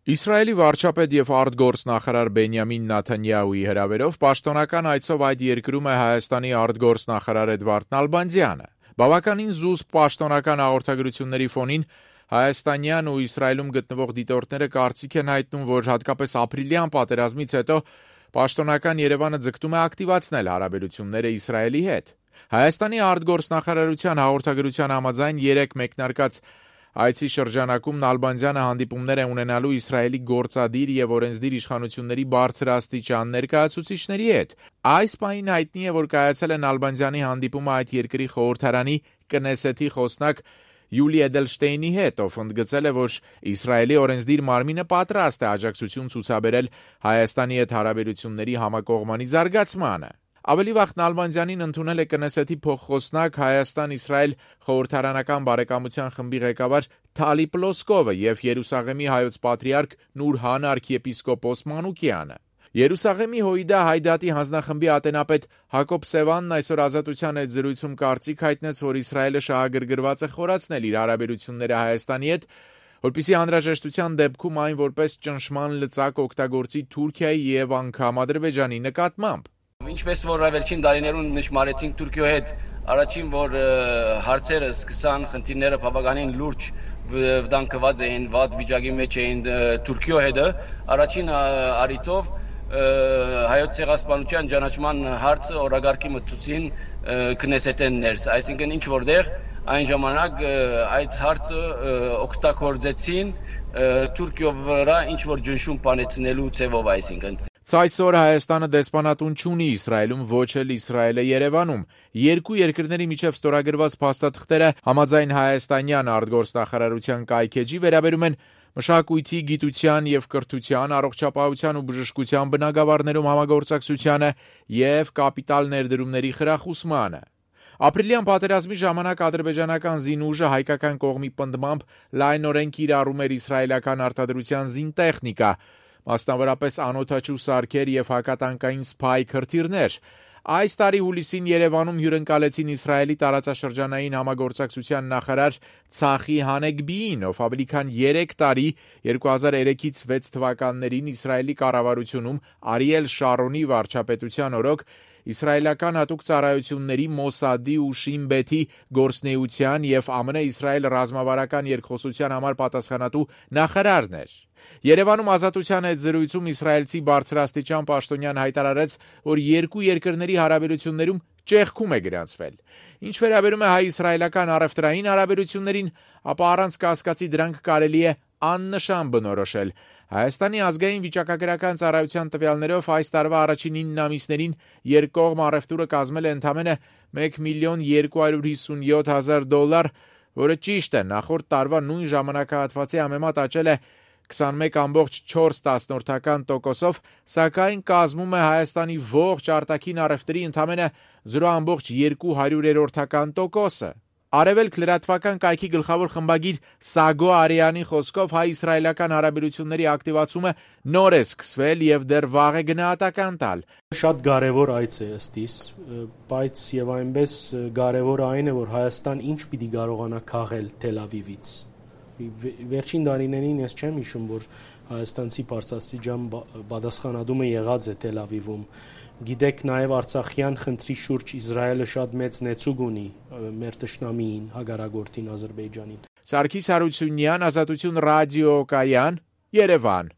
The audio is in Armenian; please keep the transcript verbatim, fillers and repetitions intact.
Իսրայելի վարչապետ եւ արտգործնախարար Բենյամին Նեթանյահուի հրավերով պաշտոնական այցով այդ երկրում է Հայաստանի արտգործնախարար Էդվարդ Նալբանդյանը։ Բավականին զուսպ պաշտոնական հաղորդագրությունների ֆոնին հայաստանյան ու Իսրայելում գտնվող դիտորդները կարծիք են հայտնում, որ հատկապես ապրիլյան պատերազմից հետո պաշտոնական Երևանը ձգտում է ակտիվացնել հարաբերությունները Իսրայելի հետ։ Հայաստանի արտգործնախարարության հաղորդագրության համաձայն երեք մեկնարկած այցի շրջանակում Նալբանդյանը հանդիպումներ է ունենալու Իսրայելի գործադիր եւ օրենսդիր իշխանությունների բարձրաստիճան ներկայացուցիչների հետ։ Այս պահին հայտնի է, որ կայացել է Նալբանդյանի հանդիպումը այդ երկրի խորհրդարանի Կնեսեթի խոսնակ Յուլի Էդելշտեյնի հետ, ով ընդգծել է, որ Իսրայելի օրենսդիր մարմինը պատրաստ է աջակցություն ցուցաբերել Հայաստանի հետ հարաբերությունների համակողմանի զարգացմանը։ Ավելի վաղ Նալբանդյանին ընդունել է Կնեսեթի փոխխոսնակ Հայաստան-Իսրայել խորհրդարանական բարեկամության խմբի ղեկավար Թալի Պլոսկովը եւ Երուսաղեմի հայոց պատրիարք Նուր Han arքիեպիսկոպոս Մանուկյանը։ Երուսաղեմի Հոյդա Հայդատի հանձնախմբի ատենապետ Հակոբ Սևանն այսօր Ազատության հետ զրույցում կարծիք հայտնեց, որ Իսրայելը շահագրգռված է խորացնել իր հարաբերությունները Հայաստանի հետ, որպեսզի անհրաժեշտության դեպքում այն որպես ճնշման լծակ օգտագործի Թուրքիայի եւ անգամ Ադրբեջանի նկատմամբ։ Ինչպես որ վերջին տարիներուն նշмарեցինք Թուրքիո հետ, առաջին որ հարցերը սկսան, խնդիրները բավականին լուրջ վտանգված էին, վատ վիճակի մեջ էին Թուրքիո հետը, առաջին առիթով հայոց ցեղասպանության ճանաչման հարցը օրագարկի մտցուցին Կնեսեթեն ներս, այսինքն ինչ որտեղ այն ժամանակ այդ հարցը օգտագործեցին Թուրքիո վրա ինչ որ ճնշում բանեցնելու ցևով, այսինքն Այսօր Հայաստանը դեսպանատուն չունի Իսրայելում, ոչ էլ Իսրայելը Երևանում։ Երկու երկրների միջև ստորագրված փաստաթղթերը համաձայն հայաստանյան արտգործնախարարության կայքեջի վերաբերում են մշակույթի, գիտության եւ կրթության, առողջապահության ու բժշկության բնագավառներում համագործակցությանը եւ կապիտալ ներդրումների խրախուսմանը։ Ապրիլյան պատերազմի ժամանակ ադրբեջանական զինուժը հայկական կողմի պնդմամբ լայնորեն կիրառում էր իսրայելական արտադրության զինտեխնիկա, մասնավորապես անօդաչու սարքեր եւ հակատանկային սփայ հրթիռներ։ Այս տարի հուլիսին Երևանում հյուրընկալեցին Իսրայելի տարածաշրջանային համագործակցության նախարար Ցախի Հանեգբիին, ով ավելի քան երեք տարի երկու հազար երեքից վեց թվականներին Իսրայելի կառավարությունում Արիել Շարոնի վարչապետության օրոք իսրայելական հատուկ ծառայությունների Մոսադի ու Շին Բեթի գործնեության եւ ԱՄՆ-Իսրայել ռազմավարական երկխոսության համար պատասխանատու նախարարն էր։ Երևանում Ազատության հետ զրույցում իսրայելցի բարձրաստիճան պաշտոնյան հայտարարեց, որ երկու երկրների հարաբերություններում ճեղքում է գրանցվել։ Ինչ վերաբերում է հայ-իսրայելական առևտրային հարաբերություններին, ապա առանց կասկածի դրանք կարելի է աննշան բնորոշել։ Հայաստանի ազգային վիճակագրական ծառայության տվյալներով այս տարվա առաջին ինը ամիսներին երկկողմ առևտուրը կազմել է ընդամենը մեկ միլիոն երկու հարյուր հիսունյոթ հազար դոլար, որը ճիշտ է, նախորդ տարվա նույն ժամանակահատվածի համեմատ աճել է քսանմեկ կόμma չորս տոկոսով, սակայն կազմում է Հայաստանի ողջ արտաքին առևտրի ընդամենը զրո կόμma երկու տոկոսը։ Արևելք լրատվական կայքի գլխավոր խմբագիր Սագո Արիանի խոսքով հայ-իսրայելական հարաբերությունների ակտիվացումը նոր է սկսվել եւ դեռ վաղ է գնահատական տալ։ Շատ կարևոր այց է ըստիս, բայց եւ այնպես կարևոր այն է, որ Հայաստան ինչ պիտի կարողանա քաղել Թել Ավիվից։ Վերջին տարիներին ես չեմ հիշում, որ հայաստանցի բարձրաստիճան պատասխանատումը եղած է Թել Ավիվում։ Գիտեք, նաև Արցախյան խնդրի շուրջ Իսրայելը շատ մեծ նեցուկ ունի մեր թշնամիին, հագարագործին Ադրբեջանին։ Սարգիս Հարությունյան, Ազատություն ռադիոկայան, Երևան։